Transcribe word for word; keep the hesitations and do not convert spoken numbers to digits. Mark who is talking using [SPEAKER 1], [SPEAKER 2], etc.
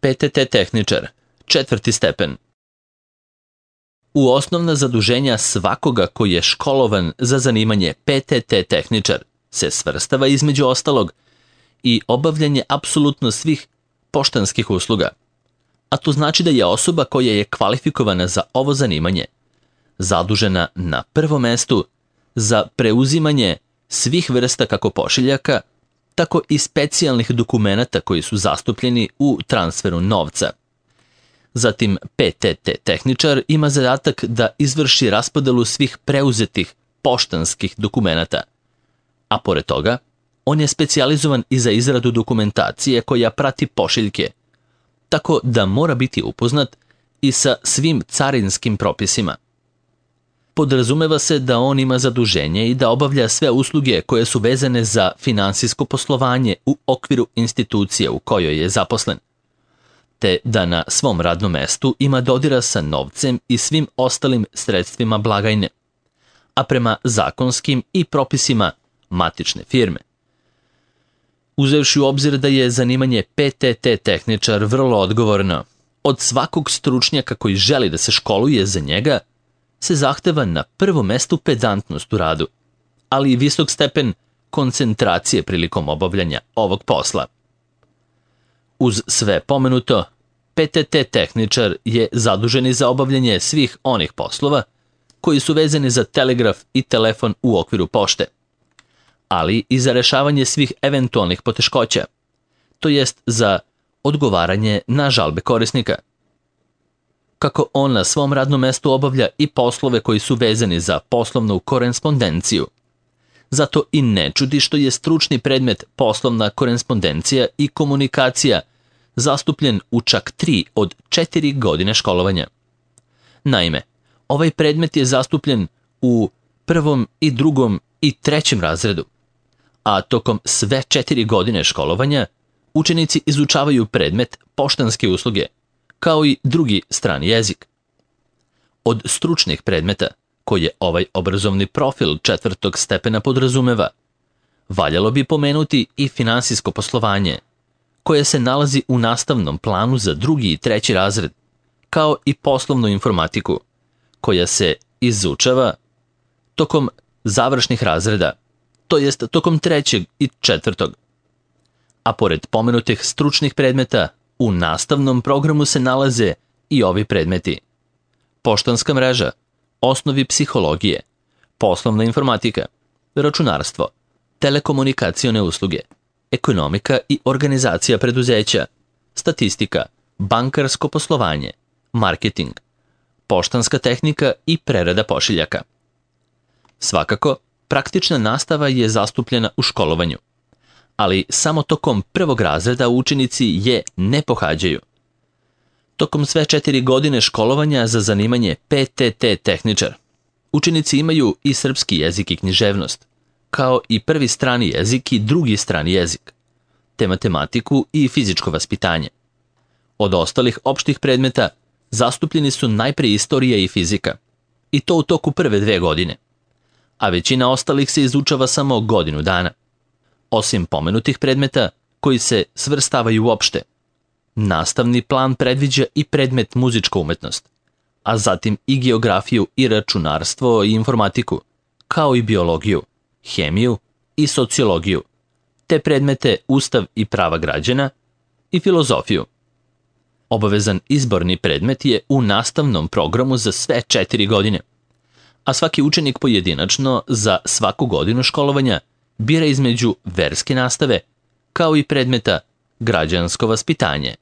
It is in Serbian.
[SPEAKER 1] P T T tehničar, četvrti stepen. U osnovna zaduženja svakoga koji je školovan za zanimanje P T T tehničar se svrstava između ostalog i obavljanje apsolutno svih poštanskih usluga, a to znači da je osoba koja je kvalifikovana za ovo zanimanje zadužena na prvom mestu za preuzimanje svih vrsta kako pošiljaka, tako i specijalnih dokumenata koji su zastupljeni u transferu novca. Zatim, P T T tehničar ima zadatak da izvrši raspodelu svih preuzetih poštanskih dokumenata, a pored toga, on je specijalizovan i za izradu dokumentacije koja prati pošiljke, tako da mora biti upoznat i sa svim carinskim propisima. Podrazumeva se da on ima zaduženje i da obavlja sve usluge koje su vezane za finansijsko poslovanje u okviru institucije u kojoj je zaposlen, te da na svom radnom mestu ima dodira sa novcem i svim ostalim sredstvima blagajne, a prema zakonskim i propisima matične firme. Uzevši u obzir da je zanimanje P T T tehničar vrlo odgovorno, od svakog stručnjaka koji želi da se školuje za njega, se zahteva na prvom mestu pedantnost u radu, ali i visok stepen koncentracije prilikom obavljanja ovog posla. Uz sve pomenuto, P T T tehničar je zadužen za obavljanje svih onih poslova koji su vezani za telegraf i telefon u okviru pošte, ali i za rešavanje svih eventualnih poteškoća, to jest za odgovaranje na žalbe korisnika. Kako on na svom radnom mestu obavlja i poslove koji su vezani za poslovnu korespondenciju. Zato i ne čudi što je stručni predmet poslovna korespondencija i komunikacija zastupljen u čak tri od četiri godine školovanja. Naime, ovaj predmet je zastupljen u prvom i drugom i trećem razredu, a tokom sve četiri godine školovanja učenici izučavaju predmet poštanske usluge, kao i drugi strani jezik. Od stručnih predmeta, koje ovaj obrazovni profil četvrtog stepena podrazumeva, valjalo bi pomenuti i finansijsko poslovanje, koje se nalazi u nastavnom planu za drugi i treći razred, kao i poslovnu informatiku, koja se izučava tokom završnih razreda, to jest tokom trećeg i četvrtog. A pored pomenutih stručnih predmeta, u nastavnom programu se nalaze i ovi predmeti: poštanska mreža, osnovi psihologije, poslovna informatika, računarstvo, telekomunikacione usluge, ekonomika i organizacija preduzeća, statistika, bankarsko poslovanje, marketing, poštanska tehnika i prerada pošiljaka. Svakako, praktična nastava je zastupljena u školovanju, ali samo tokom prvog razreda učenici je ne pohađaju. Tokom sve četiri godine školovanja za zanimanje P T T tehničar, učenici imaju i srpski jezik i književnost, kao i prvi strani jezik i drugi strani jezik, te matematiku i fizičko vaspitanje. Od ostalih opštih predmeta zastupljeni su najpre istorija i fizika, i to u toku prve dve godine, a većina ostalih se izučava samo godinu dana. Osim pomenutih predmeta koji se svrstavaju uopšte, nastavni plan predviđa i predmet muzička umetnost, a zatim i geografiju i računarstvo i informatiku, kao i biologiju, hemiju i sociologiju, te predmete Ustav i prava građana i filozofiju. Obavezan izborni predmet je u nastavnom programu za sve četiri godine, a svaki učenik pojedinačno za svaku godinu školovanja bira između verske nastave, kao i predmeta građansko vaspitanje.